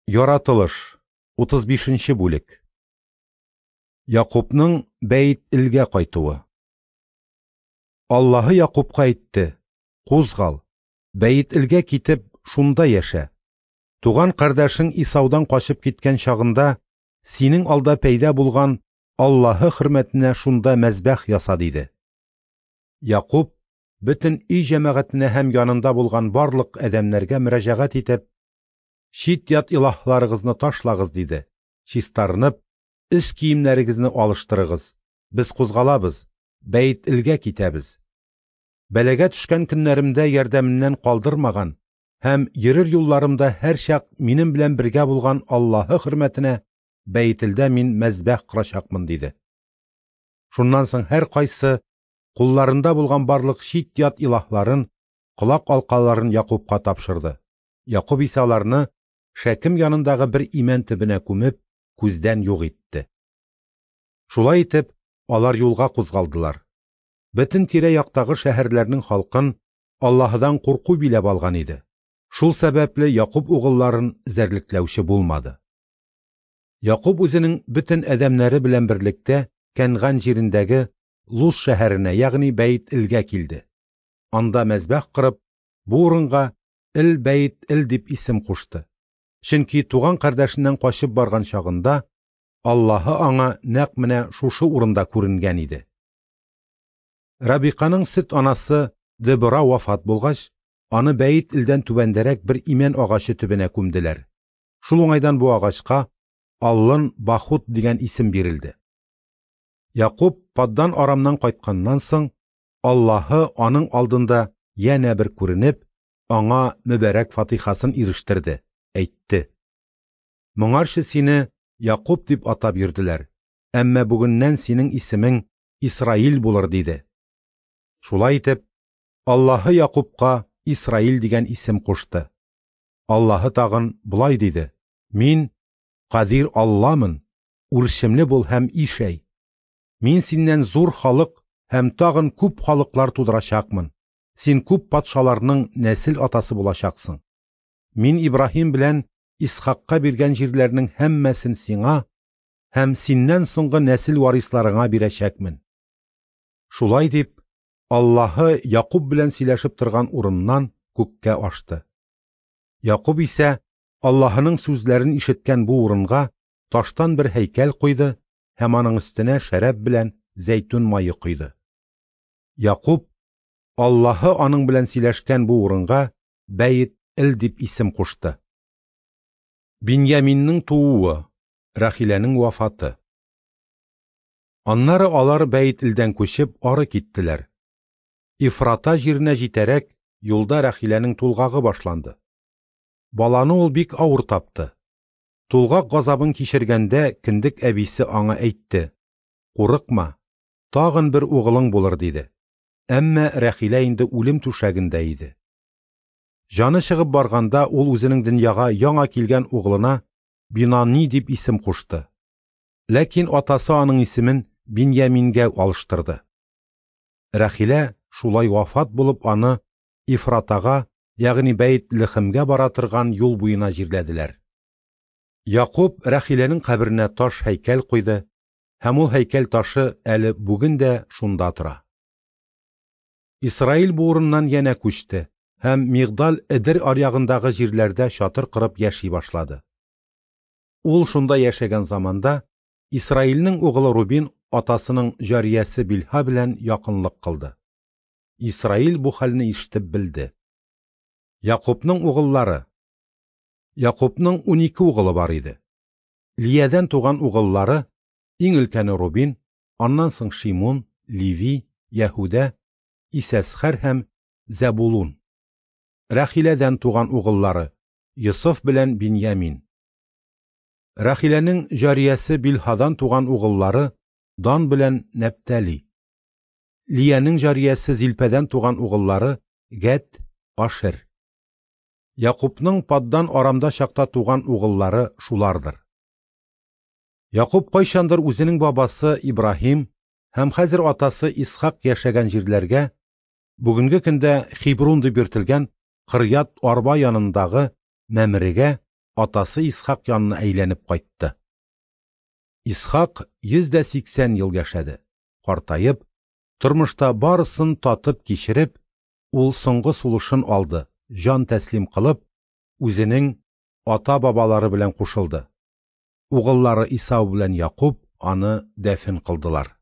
Яратылыш, 35 нче бүлек. Якубның Бәйт-Элгә кайтуы. Аллаһы Якубка әйтте: Кузгал, Бәйт-Элгә китеп, шунда яшә. Туган кардәшең Исаудан качып киткән чагында синең алда пәйда булган Аллаһы хөрмәтенә шунда мәзбәх яса, диде. Якуб бөтен өй җәмәгатенә һәм янында булган барлык адәмнәргә мөрәҗәгать итеп: Чит-ят илаһларыгызны ташлагыз, диде. Чистарынып, өс киемнәрегезне алыштырыгыз. Без кузгалабыз, Бәйт-Элгә китәбез. Бәлагә төшкән көннәремдә ярдәменнән калдырмаган һәм йөрер юлларымда һәрчак минем белән бергә булган Аллаһы хөрмәтенә Бәйтелдә мин мәзбәх корачакмын, диде. Шуннан соң һәркайсы кулларында булган барлык чит-ят илаһларын, колак алкаларын Якубка тапшырды. Якуб исә аларны Шәкем янындагы бер имән төбенә күмеп, күздән юк итте. Шулай итеп, алар юлга кузгалдылар. Бөтен тирә-яктагы шәһәрләрнең халкын Аллаһыдан курку биләп алган иде. Шул сәбәпле Якуб угылларын эзәрлекләүче булмады. Якуб үзенең бөтен адәмнәре белән берлектә Кәнган җирендәге Луз шәһәренә, ягъни Бәйт-Элгә килде. Анда мәзбәх корып, бу урынга Эл-Бәйт-Эл дип исем кушты. Чөнки туган кардәшеннән качып барган чагында Аллаһы аңа нәкъ менә шушы урында күренгән иде. Рабиканың сөт анасы Дебора вафат булгач, аны Бәйт-Элдән түбәндәрәк бер имән агачы төбенә күмделәр. Шул уңайдан бу агачка Аллын Бахут дигән исем бирелде. Якуб Паддан Арамнан кайтканнан соң, Аллаһы аның алдында янә бер күренеп, аңа мөбарәк фатихасын ирештерде, әйтте: Моңарчы сине Якуб дип атап йөрделәр, әмма бүгеннән синең исемең Исраил булыр, диде. Шулай итеп, Аллаһы Якубка Исраил дигән исем кушты. Аллаһы тагын болай диде: Мин Кадир Алламын, үрчемле бул һәм ишәй. Мин синнән зур халык һәм тагын күп халыклар тудырачакмын. Син күп патшаларның нәсел атасы булачаксың. Мин Ибраһим белән Исхакка биргән җирләрнең һәммәсен сиңа һәм синнән соңгы нәсел варисларыңа бирәчәкмен. Шулай дип, Аллаһы Якуб белән сөйләшеп торган урыннан күккә ашты. Якуб исә Аллаһының сүзләрен ишеткән бу урынга таштан бер һәйкәл куйды һәм аның өстенә шәраб белән зәйтүн мае койды. Якуб Аллаһы аның белән сөйләшкән бу урынга Бәйт-Эл дип исем кушты. Биньяминның тууы, Рахиләнең вафаты. Аннары алар Бәйт-Элдән күчеп ары киттеләр. Ифрата җиренә җитәрәк юлда Рахиләнең тулгагы башланды. Баланы ул бик авыр тапты. Тулгак газабын кичергәндә кендек әбисе аңа әйтте: Курыкма, тагын бер угылың булыр, диде. Әмма Рахилә инде үлем түшәгендә иде. Җаны чыгып барганда ул үзенең дөньяга яңа килгән угылына Бинани дип исем кушты. Ләкин атасы аның исемен Биньямингә алыштырды. Рахилә шулай вафат булып аны Ифратага, ягъни Бәйт-Лехемгә бара торган юл буена җирләделәр. Якуб Рахиләнең каберенә таш һәйкәл куйды, һәм ул һәйкәл ташы әле бүген дә шунда тора. Исраил бу урыннан янә күчте һәм Мигдал Эдер аръягындагы җирләрдә чатыр корып яши башлады. Ул шунда яшәгән заманда Исраилнең угылы Рубин атасының җариясе Билһа белән якынлык кылды. Исраил бу хәлне ишетеп белде. Якубның угыллары. Якубның 12 угылы бар иде. Лиядән туган угыллары иң өлкәне Рубин, аннан соң Шимун, Леви, Яһүдә, Исәсхәр һәм Зәбулун. Рахиләдән туган угыллары Йосыф белән Биньямин. Рахиләнең җариясе Билһадан туган угыллары Дан белән Нәптали. Лиянең җариясе Зилпәдән туган угыллары Гәт, Ашер. Якубның Паддан Арамда чакта туган угыллары шулардыр. Якуб кайчандыр үзенең бабасы Ибраһим һәм хәзер атасы Исхак яшәгән җирләргә, бүгенге көндә Хибрун дип йөртелгән Кырьят Арба янындагы Мәмрегә атасы Исхак янына әйләнеп кайтты. Исхак 180 ел яшәде. Картаеп, тормышта барысын татып кичереп, ул соңгы сулышын алды, җан тәслим кылып, үзенең ата-бабалары белән кушылды. Угыллары Исау белән Якуб аны дәфен кылдылар.